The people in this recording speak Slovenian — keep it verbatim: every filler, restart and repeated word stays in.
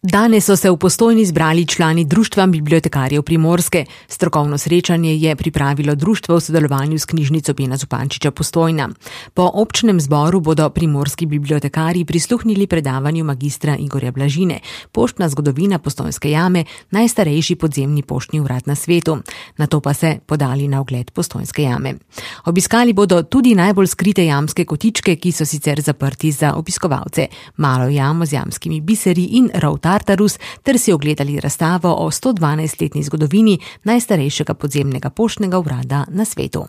Danes so se v Postojni zbrali člani Društva bibliotekarjev Primorske. Strokovno srečanje je pripravilo društvo v sodelovanju s knjižnico Bena Zupančiča Postojna. Po občnem zboru bodo primorski bibliotekarji prisluhnili predavanju magistra Igorja Blažine, Poštna zgodovina Postojnske jame, najstarejši podzemni poštni urad na svetu. Nato pa se podali na ogled Postojnske jame. Obiskali bodo tudi najbolj skrite jamske kotičke, ki so sicer zaprti za obiskovalce, malo jamo z jamskimi biseri in rov Tartarus, ter si ogledali razstavo o sto dvanajstletni zgodovini najstarejšega podzemnega poštnega urada na svetu.